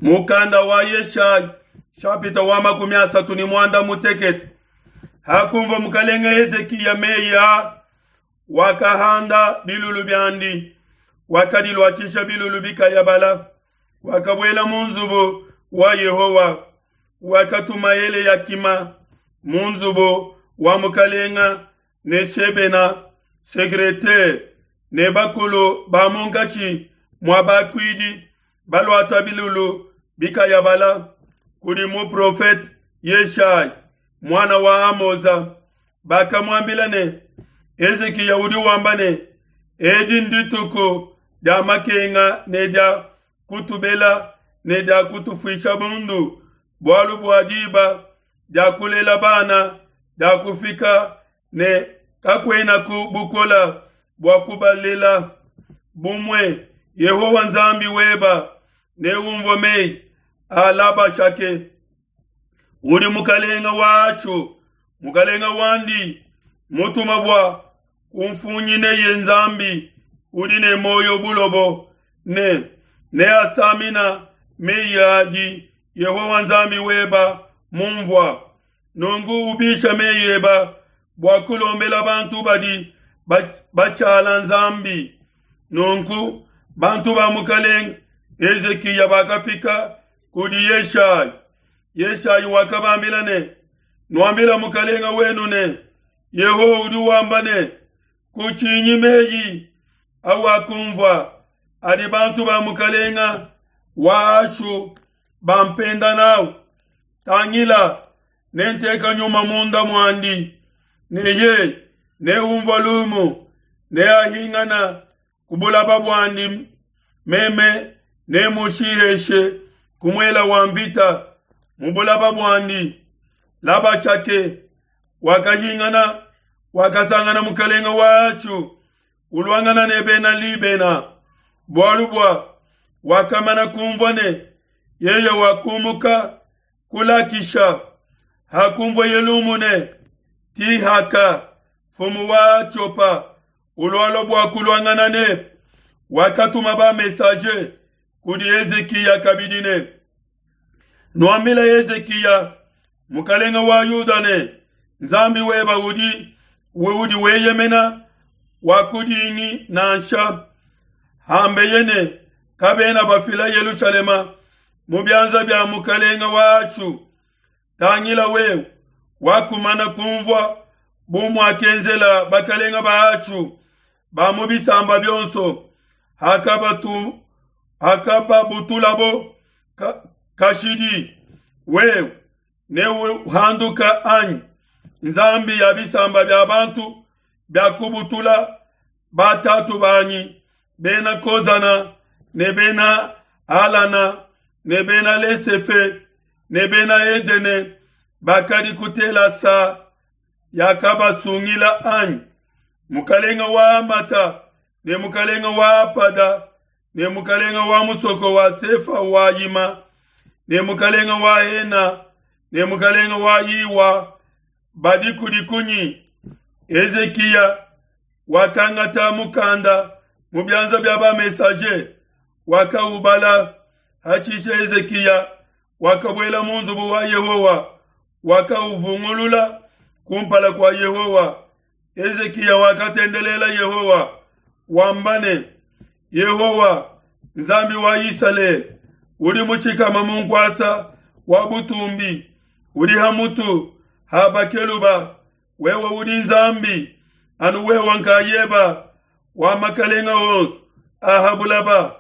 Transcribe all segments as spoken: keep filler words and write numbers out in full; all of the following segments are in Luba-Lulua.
Mukanda wa Yeshaya shapita wa makumi asatu ne muanda mutekete. Hakumva mukalenge Hezikiya meyi a, wakahanda bilulu biandi, wakadiluatshisha bilulu bikayabala, wakabuela mu nzubu wa Yehowa, wakatuma Eleyakima mu nzubu wa mukalenga ne Shebena secretaire ne bakulu ba munkatshi mua bakuidi baluata bilulu bikayabala kudi muprofete Yeshaya muana wa Amoza. Bakamuambila ne, Hezikiya udi wamba ne, edi ndituku dia makenga ne dia kutubela ne dia kutufuisha bundu, bualu bua diba dia kulela bana dia kufika ne kakuenaku bukola bua kubalela. Bumue Yehowa Nzambi weba neumvue meyi a Labashake udi mukalenga wa Ashu, mukalenga wandi mutuma bua kumfunyineye Nzambi udi ne moyo bulobo ne neasamina meyi adi Yehowa Nzambi weba mumvua. Nunku ubisha meyi eba bua kulombela bantu badi bachala Nzambi. Nunku bantu ba mukalenga Hezikiya bakafika kudi Yeshaya. Yeshaya wakabambila ne, nuambila mukalenga wenu ne, Yehowa udi wamba ne, kutshinyi meyi awakumvua adi bantu ba mukalenga wa Ashu bampenda nawu. Tangila, nenteka nyuma munda muandi, ne ye neumvua lumu, neahingana kubulaba buandi, meme nemushiheshe kumuela wa mvita mu bulaba buandi. Labashake wakahingana, wakasangana mukalenga wa Ashu uluangana ne bena Libena, bualu bua wakamana kumvua ne yeye wakumuka kulakisha. Hakumvua yelumu ne Tihaka mfumu wa Atiopa ulualua bua kuluangana ne, wakatuma ba messager kudi Hezikiya kabidi ne, nuambila Hezikiya mukalenga wa Yuda ne, Nzambi weba udi udi weyemena wakudingi nansha. Hambeye ne kabena bafila Yelushalema mu bianza bia mukalenga wa Ashu. Tangila wewe wakumana kumvua bu muakenzela bakalenga ba Ashu ba mu bisamba bionso, hakabatu hakababutulabo ka, kashidi. Wewe neuhanduka anyi Nzambi ya bisamba bia bantu bia kubutula batatu banyi bena Kozana ne bena Alana ne bena Lesefe ne bena Edene bakadi kutela sa yakabasungila anyi? Mukalenga wa Amata ne mukalenga wa Apada ne mukalenga wa musoko wa Sefa wa Yima ne mukalenga wa Hena ne mukalenga wa Iwa badi kudi kunyi? Hezikiya wakangata mukanda mu bianza bia ba messager, wakaubala. Hashishe Hezikiya wakabuela mu nzubu wa Yehowa, wakauvungulula kumpala kua Yehowa. Hezikiya wakatendelela Yehowa wamba ne, Yehowa Nzambi wa Isalele udi mushikama mu nkuasa wa butumbi, udi ha mutu ha bakeluba, wewe udi Nzambi anu wewe nkayeba wa makalenga wonso aha bulaba,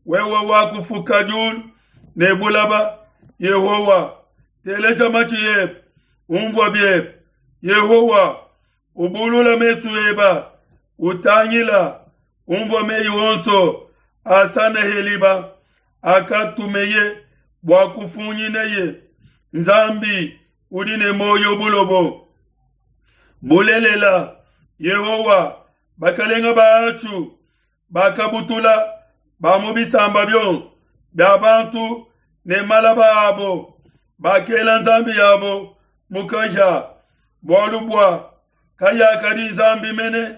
wewe wakufuka diulu ne bulaba. Yehowa teleja matshi ebe, umvua biebe. Yehowa ubulula mesu eba, utangila, umvua meyi wonso a Saneheliba akatumeye bua kufunyineye Nzambi udi ne moyo bulobo. Bulelela Yehowa bakalenga ba Ashu bakabutula ba mu bisamba bionso bia bantu ne malaba abo, bakela Nzambi yabo mukaja, bualu bua kayakadi Nzambi mene,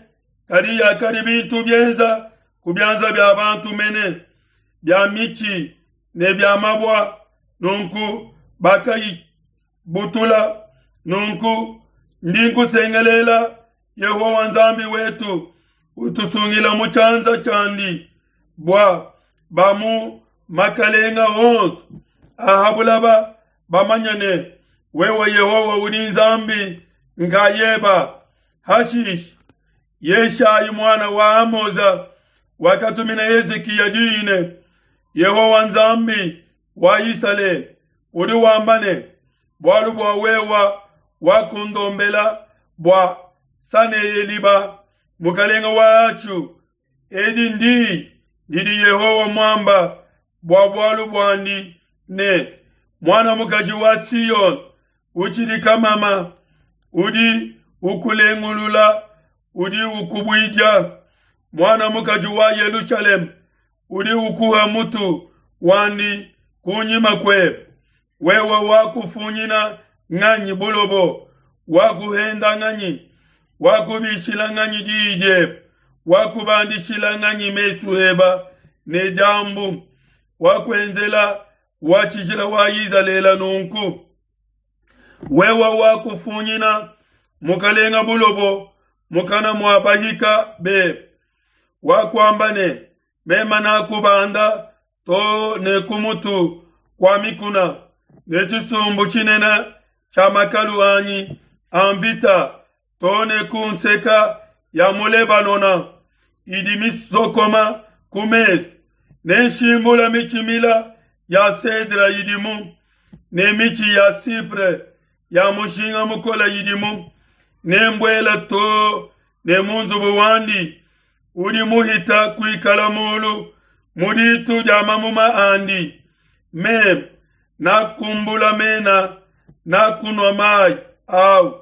kadi yakadi bintu bienza ku bianza bia bantu mene, bia mitshi ne bia mabua, nunku bakayibutula. Nunku ndi nkusengelela, Yehowa Nzambi wetu, utusungila mu tshianza tshiandi, bua ba mu makalenga onso a ha bulaba bamanye ne, wewe Yehowa udi Nzambi nkayeba. Hashishe Yeshayi muana wa Amoza wakatumina Hezikiya diyi ne, Yehowa Nzambi wa Isalele udi wamba ne, bualu bua wewa wakundombela bua Saneheliba mukalenga wa Ashu, edi ndi didi Yehowa muamba bua bualu buandi ne, muana mukaji wa Siyone utshidi kamama, udi ukulengulula, udi ukubuija. Muana mukaji wa Yelushalema udi ukuha mutu wandi kunyima kuebe. Wewe wakufunyina nganyi bulobo, wakuhenda nganyi, wakubishila nganyi diyi diebe, wakubandishila nganyi mesu eba ne diambu, wakuenzela wa tshijila wa Izalele nunku. Wewe wakufunyina mukalenga bulobo mukana mua bahika bebe, wakuamba ne, mema nakubanda to ne ku mutu kua mikuna, ne tshisumbu tshinene tshia makalu anyi a mvita to ne ku nseka ya mu Lebanona idi misokoma ku mesu, ne nshimbula mitshi mila ya cedre idimu, ne mitshi ya cypre ya mushinga mukole idimu, ne mbuela to ne mu nzubu wandi udi muhita kuikala mulu mu ditu dia mamuma andi. Meme nakumbula mena, nakunua mayi au,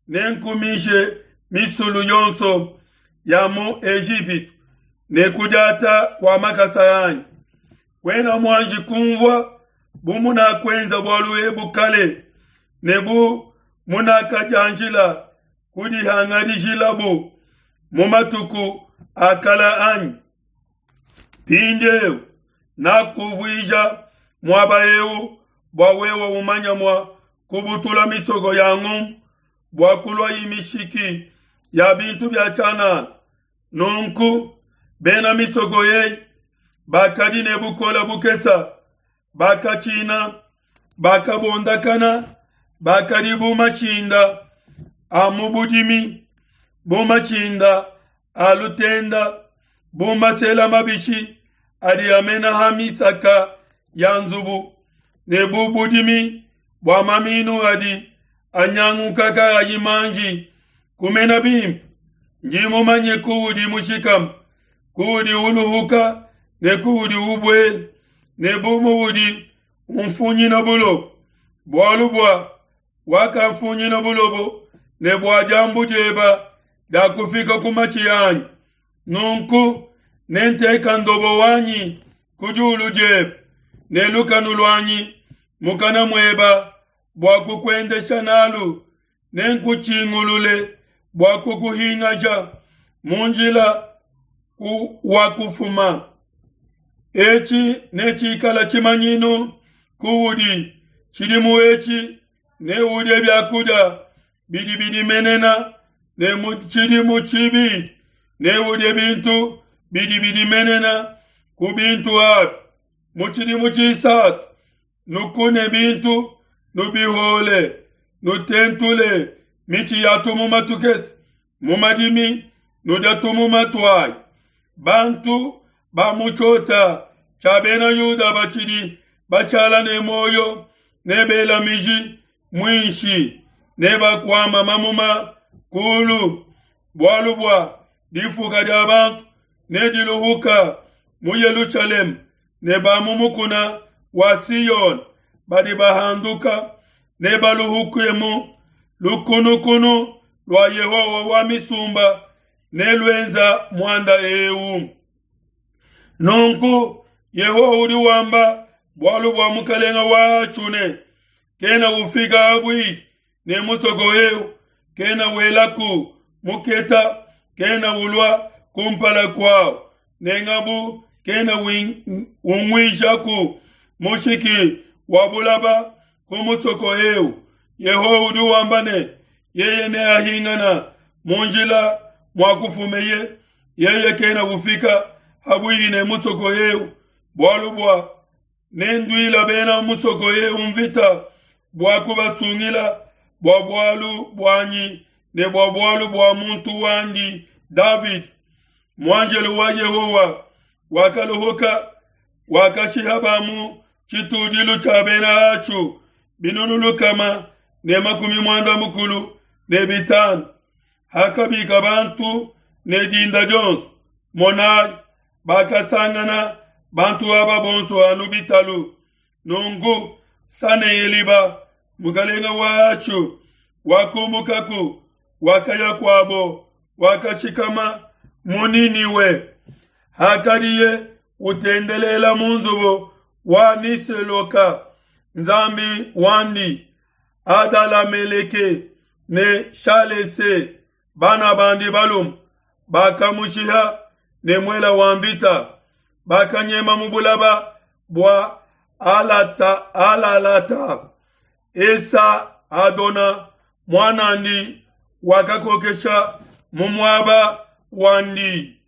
nenkumishe misulu yonso ya mu Ejipitu ne kudiata kua makasa anyi. Kuena muanji kumvua bu munakuenza bualu ebu kale, ne bu munakadianjila kudihangadishilabu mu matuku a kale anyi? Mpindieu nakuvuija muaba eu bua wewe umanya mua kubutula misoko ya ngumbu, bua kulua mishiki ya bintu bia tshianana. Nunku bena misoko eyi bakadi ne bukole bukesa, bakatshina, bakabondakana, bakadi bu mashinda a mu budimi, bu mashinda a lutenda, bu masela mabishi adi amena ha misaka ya nzubu, ne bu budimi bua maminu adi anyanguka kaayi manji kumena bimpe. Ndi mumanye kuudi mushikame, kuudi uluhuka ne kuudi ubuela, ne bu muudi umfunyina bulobo. Bualu bua wakamfunyina bulobo, ne bua diambu dieba diakufika ku matshi anyi. Nunku nenteka ndobo wanyi ku diulu diebe, ne lukanu luanyi mukana mueba bua kukuendesha nalu, nenkutshingulule bua kukuhingaja mu njila wa kufuma. Etshi netshikala tshimanyinu kuudi tshidimu etshi, neudie biakudia bidi bidimenena, ne mu tshidimu tshibidi neudie bintu bidi bidimenena ku bintu abi. Mu tshidimu tshisatu nukune bintu, nubihole, nutentule mitshi ya tumuma tukese mu madimi, nudia tumuma tuayi. Bantu ba mu tshiota tshia bena Yuda batshidi bashala ne muoyo ne bela miji muinshi, ne bakuama mamuma kulu, bualu bua difuka dia bantu nediluhuka mu Yelushalema, ne ba mu mukuna wa Siyone badi bahanduka ne baluhukemu. Lukunukunu lua Yehowa wa misumba ne luenza muanda eu. Nunku Yehowa udi wamba bualu bua mukalenga wa Ashu ne, kena ufika abui ne musoko eu, kena welaku muketa, kena ulua kumpala kuawu, ne ngabu kena unguijaku Mushiki wa bulaba ku musoko eu. Yehowa udi wamba ne, yeye neahingana mu njila muakufumeye, yeye kena ufika habuihi ne musoko eu, bualu bua nenduila bena musoko eu mvita bua kubatsungila bua bualu buanyi ne bua bualu bua muntu wandi Davidi. Muanjelo wa Yehowa wakalohoka, wakashiha ba mu tshitudilu tshia bena Ashu binunu lukama ne makumi muanda mukulu ne bitanu. Hakabika bantu ne dinda dionso, monai, bakasangana bantu aba bonso anu bitalu. Nunku Saneheliba mukalenga wa Ashu wakumukaku, wakaya kuabo, wakashikama mu Niniwe. Hakadiye utendelela mu nzubu wa Niseloka nzambi wandi, Adalameleke ne Shalese bana bandi balume bakamushiha ne muela wa mvita, bakanyema mu bulaba bua Alata, Alalata. Esa Adona muanandi wakakokesha mu muaba wandi.